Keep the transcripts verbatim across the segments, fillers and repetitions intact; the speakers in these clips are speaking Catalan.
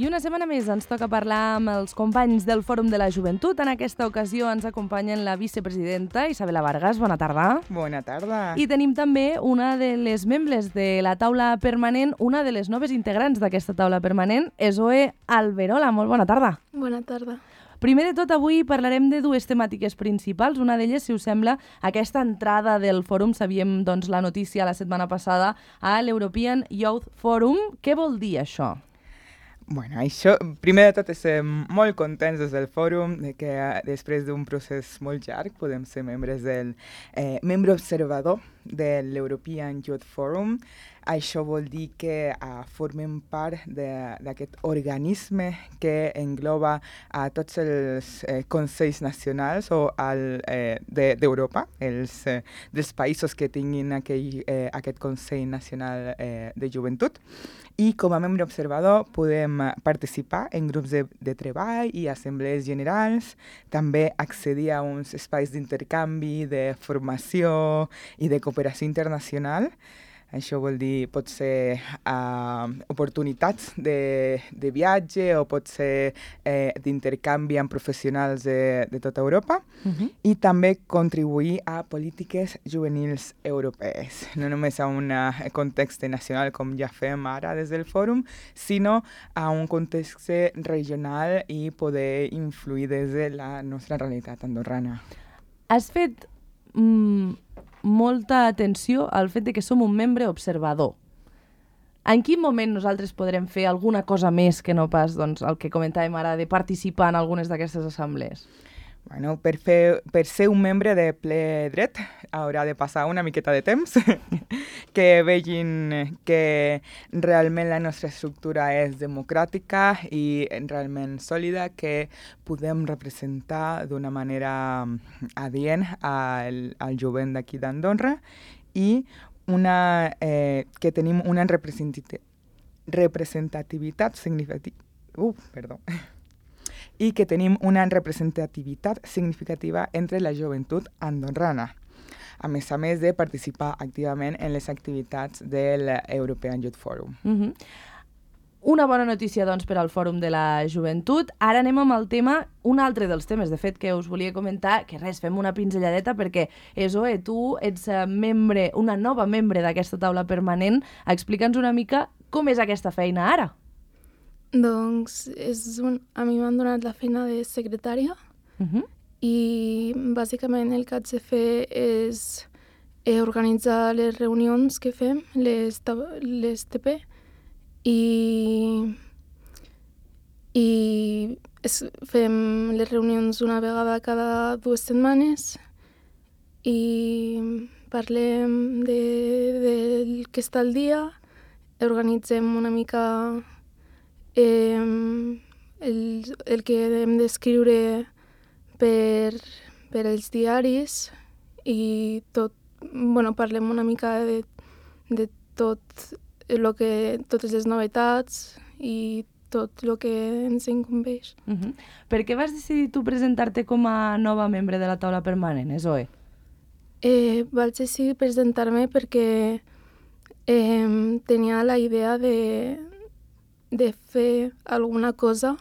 I una setmana més ens toca parlar amb els companys del Fòrum de la Joventut. En aquesta ocasió ens acompanyen la vicepresidenta Isabela Vargas. Bona tarda. Bona tarda. I tenim també una de les membres de la taula permanent, una de les noves integrants d'aquesta taula permanent, Zoe Alberola. Molt bona tarda. Bona tarda. Primer de tot, avui parlarem de dues temàtiques principals. Una d'elles, si us sembla, aquesta entrada del fòrum. Sabíem doncs, la notícia la setmana passada a l'European Youth Forum. Què vol dir això? Bueno, això, primer de tot, estem molt contents des del fòrum de que després d'un procés molt llarg podem ser membres del eh, membre observador de l'European Youth Forum. Això vol dir que uh, formem part d'aquest organisme que engloba a tots els eh, consells nacionals o el, eh, d'Europa, de, els eh, dels països que tinguin aquell, eh, aquest Consell Nacional eh, de Joventut. I com a membre observador podem participar en grups de, de treball i assemblees generals, també accedir a uns espais d'intercanvi, de formació i de cooperació internacional. Això vol dir, pot ser uh, oportunitats de, de viatge o pot ser eh, d'intercanvi amb professionals de, de tota Europa uh-huh. i també contribuir a polítiques juvenils europees. No només a un context nacional com ja fem ara des del fòrum, sinó a un context regional i poder influir des de la nostra realitat andorrana. Has fet Mm, molta atenció al fet de que som un membre observador. En quin moment nosaltres podrem fer alguna cosa més que no pas doncs, el que comentàvem ara de participar en algunes d'aquestes assemblees? Bueno, per, fer, per ser un membre de ple dret haurà de passar una miqueta de temps, que vegin que realment la nostra estructura és democràtica i realment sòlida, que podem representar d'una manera adient al, al jovent d'aquí d'Andorra i una, eh, que tenim una representativitat significativa. Uh, perdó. I que tenim una representativitat significativa entre la joventut andorrana, a més a més de participar activament en les activitats de l'European Youth Forum. Uh-huh. Una bona notícia, doncs, per al Fòrum de la Joventut. Ara anem amb el tema, un altre dels temes, de fet, que us volia comentar, que res, fem una pinzelladeta, perquè, Zoe, tu ets membre, una nova membre d'aquesta taula permanent. Explica'ns una mica com és aquesta feina ara. Doncs és un... a mi m'han donat la feina de secretària uh-huh. i bàsicament el que haig de fer és eh, organitzar les reunions que fem, les, les T P, i, i es, fem les reunions una vegada cada dues setmanes i parlem de, del que està al dia, organitzem una mica Eh, el, el que hem d'escriure per, per als diaris i tot, bueno, parlem una mica de, de tot lo que, totes les novetats i tot el que ens incumbeix. Uh-huh. Per què vas decidir tu presentar-te com a nova membre de la taula permanent, Zoe? Eh, vaig decidir presentar-me perquè eh, tenia la idea de de fer alguna cosa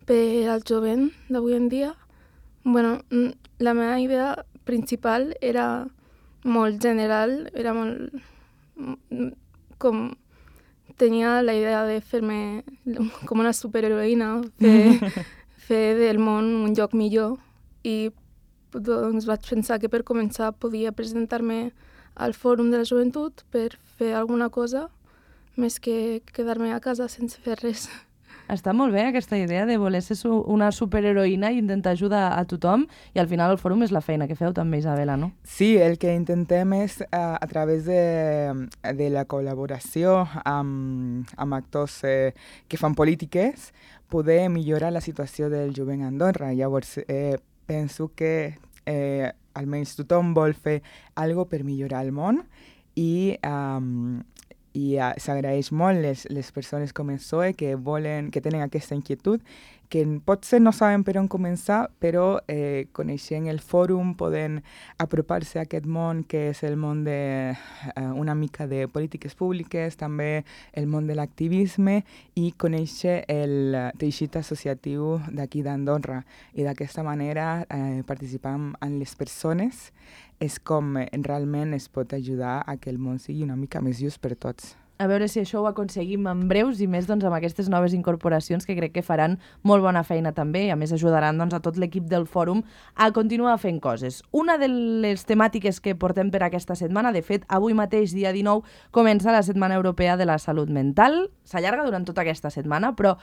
per al jovent d'avui en dia. Bueno, la meva idea principal era molt general, era molt... com... tenia la idea de fer-me com una superheroïna, fer, fer del món un lloc millor i doncs vaig pensar que per començar podia presentar-me al Fòrum de la Joventut per fer alguna cosa més que quedar-me a casa sense fer res. Està molt bé aquesta idea de voler ser una superheroïna i intentar ajudar a tothom, i al final el fòrum és la feina que feu també, Isabela, no? Sí, el que intentem és uh, a través de, de la col·laboració amb, amb actors eh, que fan polítiques poder millorar la situació del jovent a Andorra. Llavors, eh, penso que eh, almenys tothom vol fer alguna cosa per millorar el món i um, i uh, s'agraeix molt les, les persones com el S O E que volen, que tenen aquesta inquietud, que potser no saben per on començar, però eh, coneixent el fòrum poden apropar-se a aquest món que és el món de uh, una mica de polítiques públiques, també el món de l'activisme i conèixer el uh, teixit associatiu d'aquí d'Andorra. I d'aquesta manera eh, participar en les persones és com eh, realment es pot ajudar a que el món sigui una mica més just per tots. A veure si això ho aconseguim en breus i més doncs, amb aquestes noves incorporacions que crec que faran molt bona feina també i a més ajudaran doncs, a tot l'equip del fòrum a continuar fent coses. Una de les temàtiques que portem per aquesta setmana, de fet, avui mateix, dia dinou, comença la Setmana Europea de la Salut Mental. S'allarga durant tota aquesta setmana, però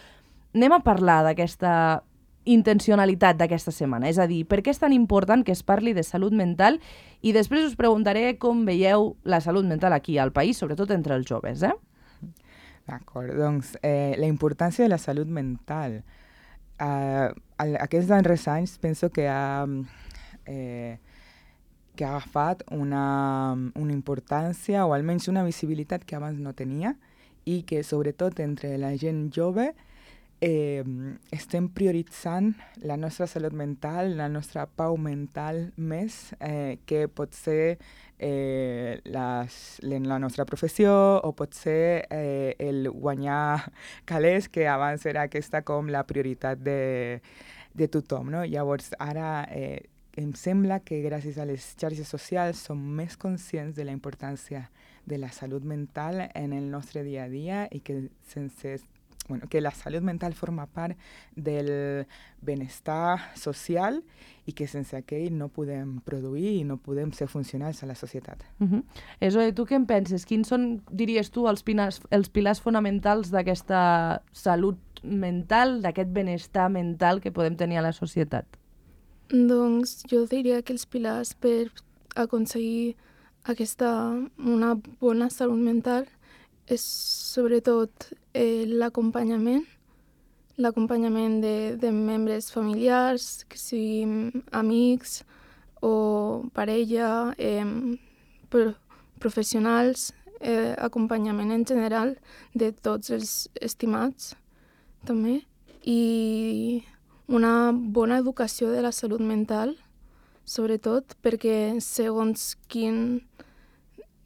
anem a parlar d'aquesta intencionalitat d'aquesta setmana, és a dir, per què és tan important que es parli de salut mental i després us preguntaré com veieu la salut mental aquí al país, sobretot entre els joves, eh? D'acord, doncs eh, la importància de la salut mental. Uh, aquests darrers anys penso que ha, eh, que ha agafat una, una importància o almenys una visibilitat que abans no tenia i que sobretot entre la gent jove Eh, estem prioritzant la nostra salut mental, la nostra pau mental més eh, que pot ser eh, les, la nostra professió o pot ser eh, el guanyar calés, que abans era aquesta com la prioritat de, de tothom. No? Llavors, ara eh, em sembla que gràcies a les xarxes socials som més conscients de la importància de la salut mental en el nostre dia a dia i que sense Bueno, que la salut mental forma part del benestar social i que sense aquell no podem produir i no podem ser funcionals a la societat. Uh-huh. Eso, tu què en penses? Quins són, diries tu, els, pinas, els pilars fonamentals d'aquesta salut mental, d'aquest benestar mental que podem tenir a la societat? Doncs jo diria que els pilars per aconseguir aquesta, una bona salut mental és sobretot eh, l'acompanyament, l'acompanyament de, de membres familiars, que siguin amics o parella, eh, pro, professionals, eh, acompanyament en general de tots els estimats, també, i una bona educació de la salut mental, sobretot perquè segons quin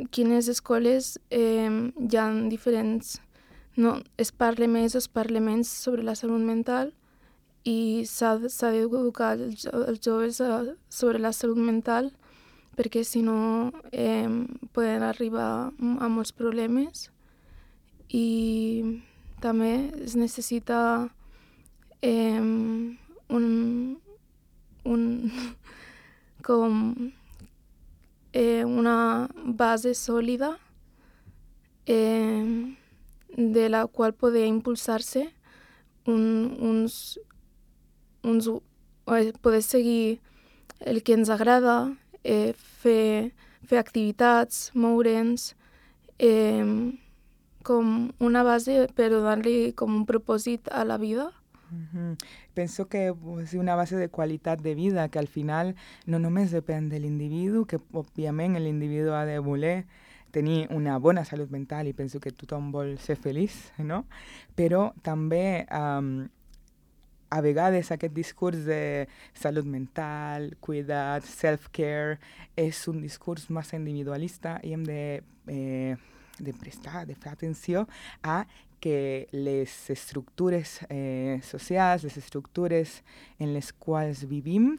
quines escoles eh, hi ha diferents... No, es parla més o es parla menys sobre la salut mental i s'ha d'educar els, els joves a, sobre la salut mental perquè si no eh, poden arribar a molts problemes i també es necessita eh, un, un com Eh, una base sòlida eh, de la qual poder impulsar-se un, uns, uns, eh, poder seguir el que ens agrada, eh, fer, fer activitats, moure'ns, eh, com una base per donar-li com un propòsit a la vida. Uh-huh. Penso que és una base de qualitat de vida que al final no només depèn de l'individu, que òbviament l'individu ha de voler tenir una bona salut mental i penso que tothom vol ser feliç, no? Però també um, a vegades aquest discurs de salut mental, cuidat, self-care, és un discurs massa individualista i hem de, eh, de prestar, de fer atenció a que les estructures eh, socials, les estructures en les quals vivim,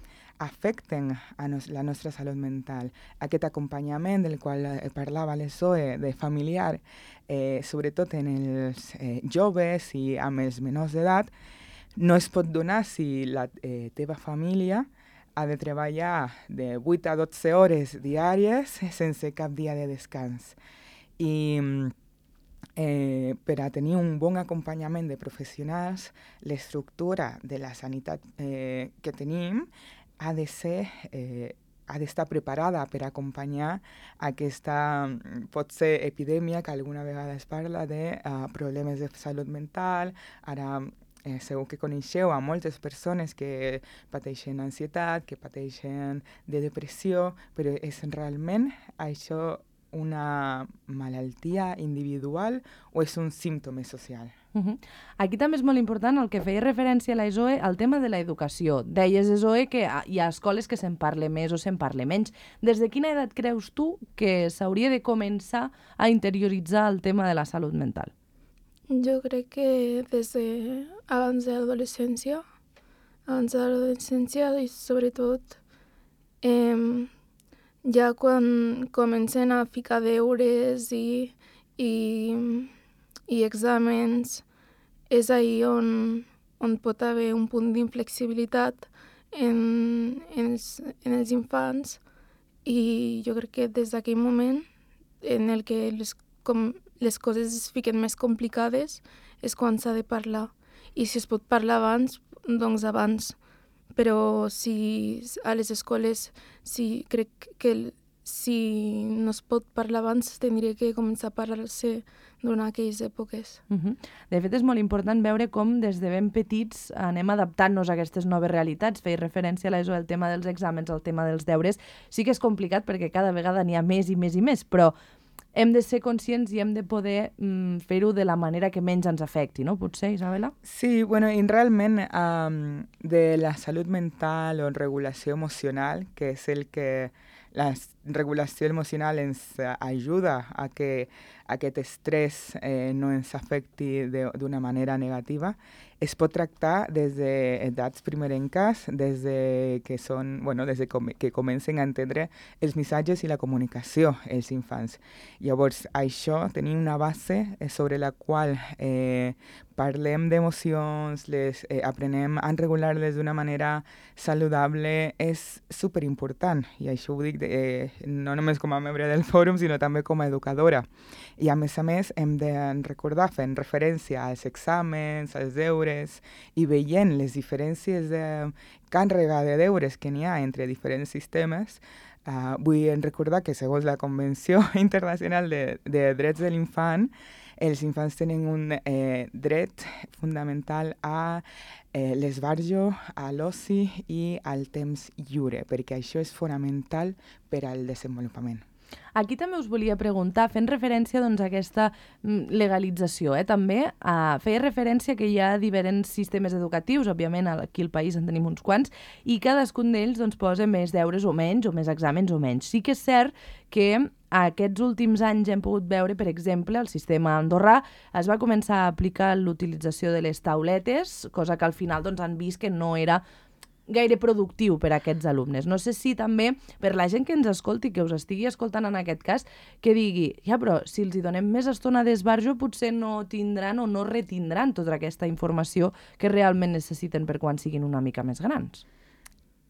afecten a nos, la nostra salut mental. Aquest acompanyament del qual eh, parlava l'S O E, de familiar, eh, sobretot en els eh, joves i amb els menors d'edat, no es pot donar si la eh, teva família ha de treballar de vuit a dotze hores diàries sense cap dia de descans. I Eh, per a tenir un bon acompanyament de professionals, l'estructura de la sanitat eh, que tenim ha de ser, eh, ha d'estar preparada per acompanyar aquesta, pot ser epidèmia que alguna vegada es parla de uh, problemes de salut mental. Ara eh, segur que coneixeu a moltes persones que pateixen ansietat, que pateixen de depressió, però és realment això una malaltia individual o és un símptoma social? Uh -huh. Aquí també és molt important el que feia referència a la Zoe al tema de l'educació. Deies, Zoe, que hi ha escoles que se'n parla més o se'n parla menys. Des de quina edat creus tu que s'hauria de començar a interioritzar el tema de la salut mental? Jo crec que des de abans de l'adolescència, abans de l'adolescència i sobretot eh, ja quan comencen a ficar deures i, i, i exàmens, és ahir on, on pot haver un punt d'inflexibilitat en, en, els, en els infants i jo crec que des d'aquell moment en el que les, com, les coses es fiquen més complicades és quan s'ha de parlar. I si es pot parlar abans, doncs abans. Però si a les escoles si crec que si no es pot parlar abans, tindria que començar a parlar-se durant aquelles èpoques. Uh -huh. De fet, és molt important veure com des de ben petits anem adaptant-nos a aquestes noves realitats. Feia referència a l'E S O, el tema dels exàmens, el tema dels deures. Sí que és complicat perquè cada vegada n'hi ha més i més i més, però hem de ser conscients i hem de poder mm, fer-ho de la manera que menys ens afecti, no? Potser, Isabela? Sí, bueno, i realment um, de la salut mental o regulació emocional, que és el que la regulació emocional ens ajuda a que aquest estrès eh, no ens afecti d'una manera negativa, es pot tractar des d'edats primerenques, des de que són, bueno, des de com, que comencen a entendre els missatges i la comunicació els infants. Llavors, això, tenir una base sobre la qual eh, parlem d'emocions, les eh, aprenem a regular-les d'una manera saludable, és superimportant. I això ho dic eh, no només com a membre del fòrum, sinó també com a educadora. I a més a més hem de recordar, fent referència als exàmens, als deures, i veient les diferències de càrrega de deures que n'hi ha entre diferents sistemes, uh, vull recordar que segons la Convenció Internacional de, de Drets de l'Infant, els infants tenen un eh, dret fundamental a eh, l'esbarjo, a l'oci i al temps lliure, perquè això és fonamental per al desenvolupament. Aquí també us volia preguntar, fent referència doncs, a aquesta legalització, eh? també uh, feia referència que hi ha diferents sistemes educatius, òbviament aquí al país en tenim uns quants, i cadascun d'ells doncs, posa més deures o menys, o més exàmens o menys. Sí que és cert que aquests últims anys hem pogut veure, per exemple, el sistema andorrà es va començar a aplicar l'utilització de les tauletes, cosa que al final doncs, han vist que no era gaire productiu per a aquests alumnes. No sé si també, per la gent que ens escolti, que us estigui escoltant en aquest cas, que digui, ja, però si els hi donem més estona d'esbarjo, potser no tindran o no retindran tota aquesta informació que realment necessiten per quan siguin una mica més grans.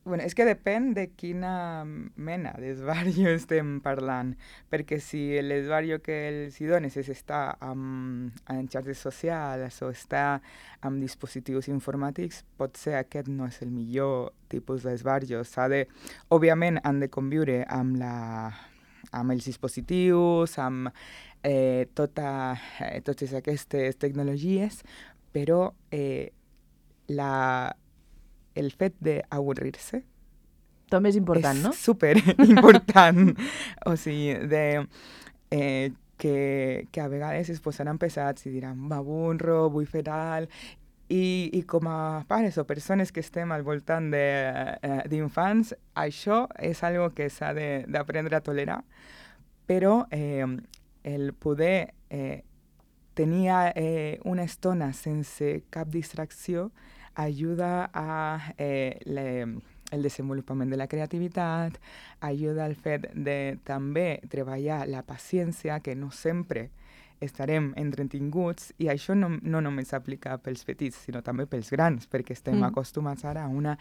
Bueno, és que depèn de quina mena d'esbarjo estem parlant, perquè si l'esbarjo que els hi dones és estar amb, en xarxes socials o estar amb dispositius informàtics, potser aquest no és el millor tipus d'esbarjo. S'ha de, òbviament, han de conviure amb, la, amb els dispositius, amb eh, tota, eh, totes aquestes tecnologies, però eh, la... el fet d'avorrir-se també és important, és no? És superimportant. O sigui, de, eh, que, que a vegades es posaran pesats i diran, m'avorro, vull fer alt, i, i com a pares o persones que estem al voltant d'infants, eh, això és algo que s'ha d'aprendre a tolerar, però eh, el poder eh, tenir eh, una estona sense cap distracció ajuda a eh, le, el desenvolupament de la creativitat, ajuda al fet de també treballar la paciència, que no sempre estarem entretinguts, i això no, no només s'aplica pels petits, sinó també pels grans, perquè estem mm. acostumats ara a una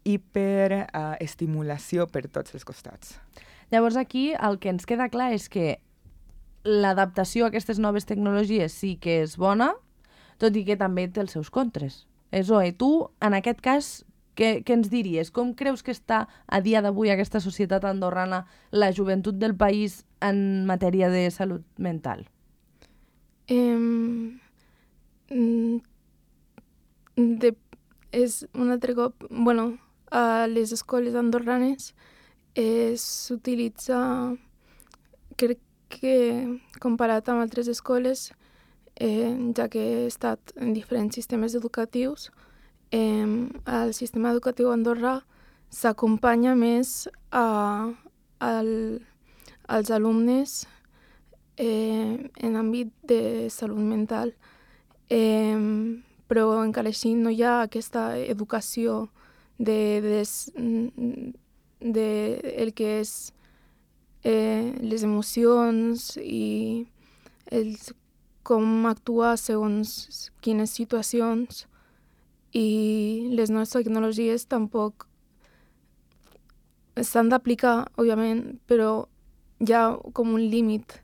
hiperestimulació uh, per tots els costats. Llavors aquí el que ens queda clar és que l'adaptació a aquestes noves tecnologies sí que és bona, tot i que també té els seus contres. Zoe, tu, en aquest cas, què, què ens diries? Com creus que està a dia d'avui aquesta societat andorrana, la joventut del país en matèria de salut mental? Um, de, és un altre cop... Bueno, a les escoles andorranes s'utilitza... Crec que comparat amb altres escoles, eh, ja que he estat en diferents sistemes educatius, eh, el sistema educatiu andorrà s'acompanya més a, al, als alumnes eh, en àmbit de salut mental. Eh, però encara així no hi ha aquesta educació de, de, de el que és eh, les emocions i els, com actuar segons quines situacions, i les noves tecnologies tampoc s'han d'aplicar, òbviament, però hi ha com un límit.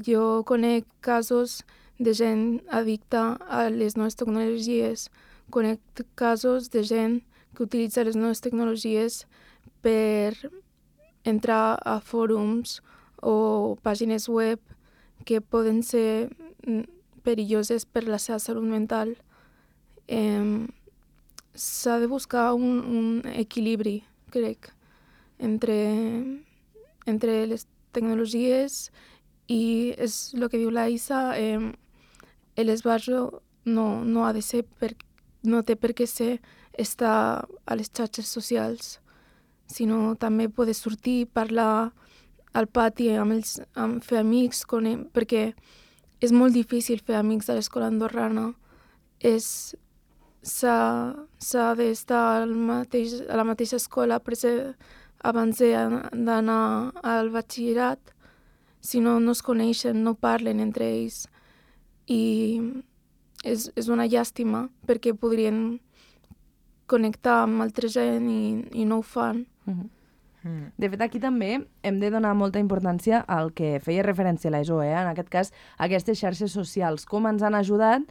Jo conec casos de gent addicta a les noves tecnologies, conec casos de gent que utilitza les noves tecnologies per entrar a fòrums o pàgines web que poden ser perilloses per la seva salut mental. Eh, s'ha de buscar un, un equilibri, crec, entre, entre les tecnologies i és el que diu la Isa, eh, l'esbarjo no, no ha de ser, per, no té per què ser estar a les xarxes socials, sinó també poder sortir, parlar al pati amb els, amb fer amics, con, perquè és molt difícil fer amics a l'escola andorrana. És, s'ha, s'ha d'estar al mateix, a la mateixa escola abans d'anar al batxillerat. Si no, no es coneixen, no parlen entre ells. I és, és una llàstima perquè podrien connectar amb altra gent i, i no ho fan. Mm-hmm. Mm. De fet, aquí també hem de donar molta importància al que feia referència a l'E S O, eh? En aquest cas, aquestes xarxes socials, com ens han ajudat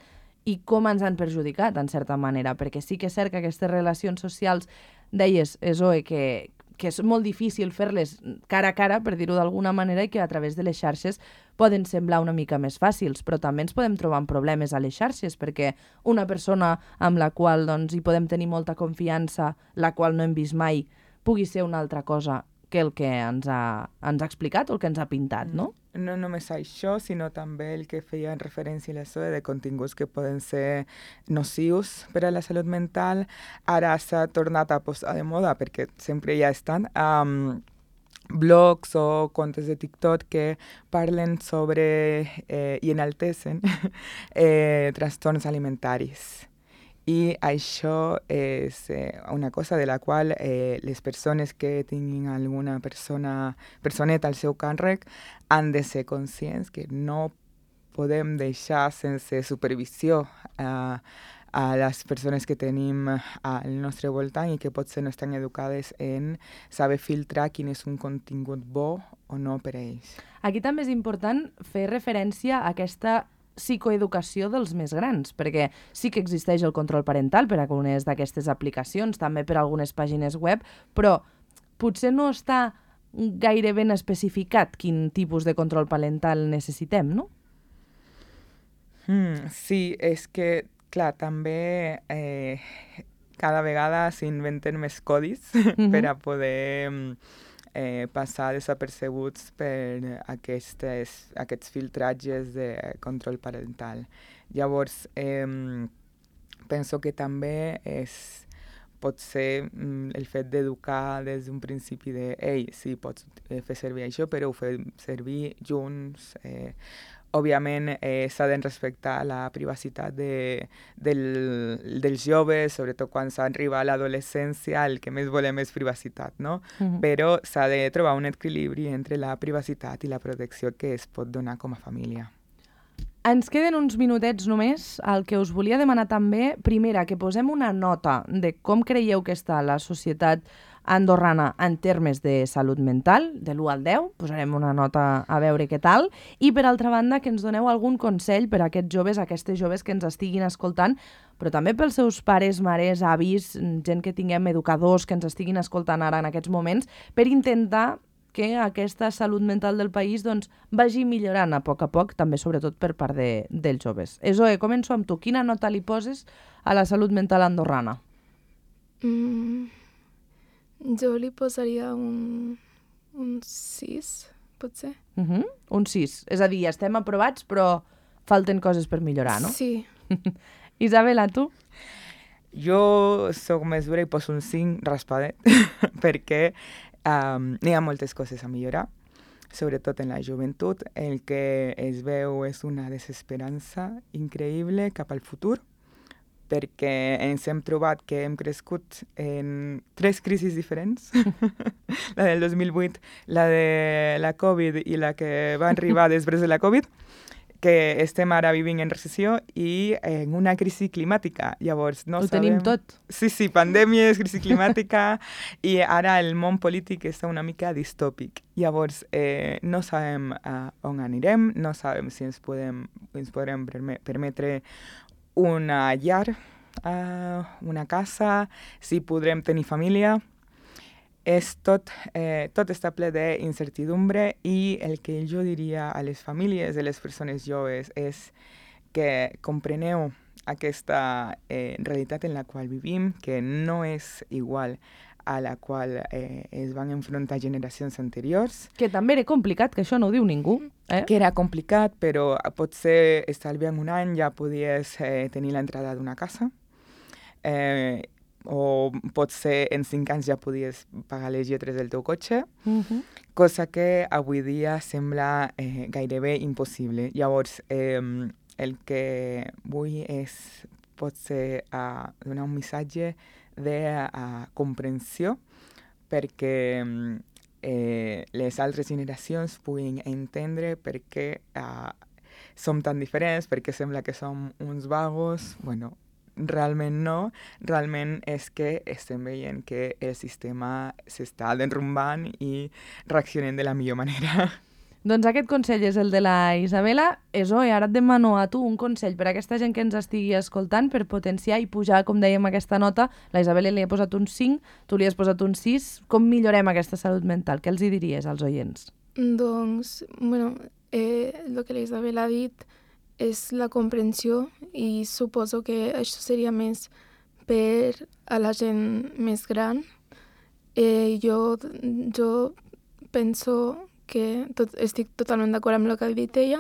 i com ens han perjudicat, en certa manera, perquè sí que és cert que aquestes relacions socials, deies, E S O E, que, que és molt difícil fer-les cara a cara, per dir-ho d'alguna manera, i que a través de les xarxes poden semblar una mica més fàcils, però també ens podem trobar amb problemes a les xarxes, perquè una persona amb la qual doncs, hi podem tenir molta confiança, la qual no hem vist mai, pugui ser una altra cosa que el que ens ha, ens ha explicat o el que ens ha pintat, no? No només això, sinó també el que feia en referència a l'E S O E de continguts que poden ser nocius per a la salut mental. Ara s'ha tornat a posar de moda, perquè sempre ja estan, um, blogs o comptes de TikTok que parlen sobre eh, i enaltecen eh, trastorns alimentaris. I això és eh, una cosa de la qual eh, les persones que tinguin alguna persona, personeta al seu càrrec han de ser conscients que no podem deixar sense supervisió a, a les persones que tenim al nostre voltant i que potser no estan educades en saber filtrar quin és un contingut bo o no per a ells. Aquí també és important fer referència a aquesta psicoeducació dels més grans, perquè sí que existeix el control parental per a algunes d'aquestes aplicacions, també per a algunes pàgines web, però potser no està gaire ben especificat quin tipus de control parental necessitem, no? Mm, sí, és que, clar, també eh, cada vegada s'inventen més codis mm-hmm. per a poder eh, passar desapercebuts per aquestes, aquests filtratges de control parental. Llavors, eh, penso que també és, pot ser mm, el fet d'educar des d'un principi de «Ei, sí, pots eh, fer servir això, però ho fem servir junts». Eh, Òbviament, eh, s'ha de respectar la privacitat de, del, dels joves, sobretot quan s'arriba a l'adolescència, el que més volem és privacitat, no? Mm-hmm. Però s'ha de trobar un equilibri entre la privacitat i la protecció que es pot donar com a família. Ens queden uns minutets només. El que us volia demanar també, primera, que posem una nota de com creieu que està la societat andorrana en termes de salut mental, de l'u al deu, posarem una nota a veure què tal, i per altra banda que ens doneu algun consell per a aquests joves, aquestes joves que ens estiguin escoltant, però també pels seus pares, mares, avis, gent que tinguem educadors que ens estiguin escoltant ara en aquests moments, per intentar que aquesta salut mental del país doncs, vagi millorant a poc a poc, també sobretot per part de, dels joves. E S O E, començo amb tu. Quina nota li poses a la salut mental andorrana? Mm, jo li posaria un, un sis, potser. Uh -huh. Un sis. És a dir, estem aprovats, però falten coses per millorar, no? Sí. Isabela, tu? Jo soc més dura i poso un cinc raspadet, perquè um, n'hi ha moltes coses a millorar, sobretot en la joventut. El que es veu és una desesperança increïble cap al futur, perquè ens hem trobat que hem crescut en tres crisis diferents, la del dos mil vuit, la de la Covid i la que va arribar després de la Covid, que estem ara vivint en recessió i en una crisi climàtica. Llavors, no Ho sabem... tenim tot. Sí, sí, pandèmies, crisi climàtica, i ara el món polític està una mica distòpic. Llavors, eh, no sabem uh, on anirem, no sabem si ens podem, ens podrem permetre una llar, uh, una casa, si podrem tenir família. És tot, eh, tot està ple d'incertidumbre i el que jo diria a les famílies de les persones joves és que compreneu aquesta eh, realitat en la qual vivim, que no és igual a la qual eh, es van enfrontar generacions anteriors. Que també era complicat, que això no ho diu ningú. Eh? Que era complicat, però potser estalviant un any ja podies eh, tenir l'entrada d'una casa. Eh, o potser en cinc anys ja podies pagar les lletres del teu cotxe, Uh-huh. cosa que avui dia sembla eh, gairebé impossible. Llavors, eh, el que vull és potser uh, donar un missatge de uh, comprensió perquè eh, les altres generacions puguin entendre per què uh, som tan diferents, perquè sembla que som uns vagos. Bueno, realment no, realment és que estem veient que el sistema s'està derrumbant i reaccionem de la millor manera. Doncs aquest consell és el de la Isabela. Esoe, ara et demano a tu un consell per a aquesta gent que ens estigui escoltant per potenciar i pujar, com dèiem, aquesta nota. La Isabela li ha posat un cinc, tu li has posat un sis. Com millorem aquesta salut mental? Què els hi diries als oients? Doncs, bueno, eh, el que la Isabela ha dit és la comprensió i suposo que això seria més per a la gent més gran. Eh, jo, jo penso que tot, estic totalment d'acord amb el que ha dit ella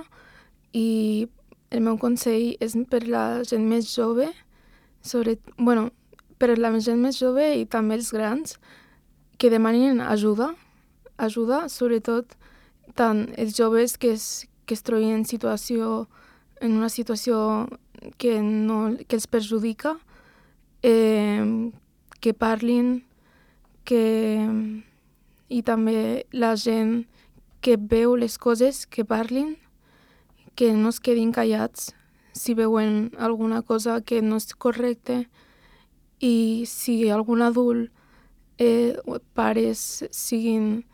i el meu consell és per la gent més jove, sobre, bueno, per la gent més jove i també els grans, que demanin ajuda, ajuda, sobretot tant els joves que es, que es trobin en situació en una situació que, no, que els perjudica, eh, que parlin, que, i també la gent que veu les coses, que parlin, que no es quedin callats si veuen alguna cosa que no és correcte i si algun adult, eh, pares siguin,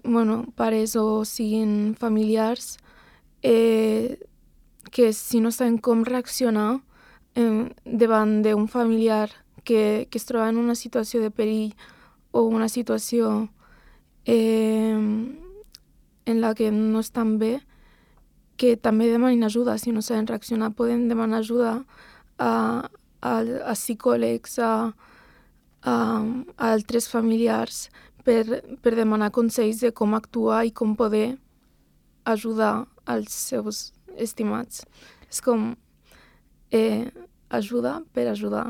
bueno, pares o siguin familiars, eh, que si no saben com reaccionar eh, davant d'un familiar que, que es troba en una situació de perill o una situació eh, en la que no estan bé, que també demanin ajuda. Si no saben reaccionar, poden demanar ajuda a, a, a psicòlegs, a, a, a altres familiars, per, per demanar consells de com actuar i com poder ajudar als seus estimats. És com eh, ajuda per ajudar.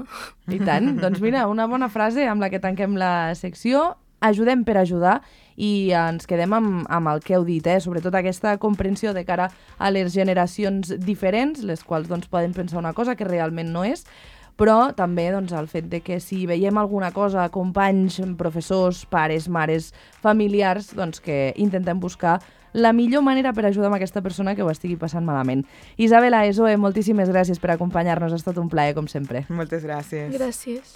I tant. Doncs mira, una bona frase amb la que tanquem la secció. Ajudem per ajudar i ens quedem amb, amb el que heu dit, eh? Sobretot aquesta comprensió de cara a les generacions diferents, les quals doncs, poden pensar una cosa que realment no és, però també doncs, el fet de que si veiem alguna cosa, companys, professors, pares, mares, familiars, doncs que intentem buscar la millor manera per ajudar amb aquesta persona que ho estigui passant malament. Isabela, Esoe, moltíssimes gràcies per acompanyar-nos. Ha estat un plaer, com sempre. Moltes gràcies. Gràcies.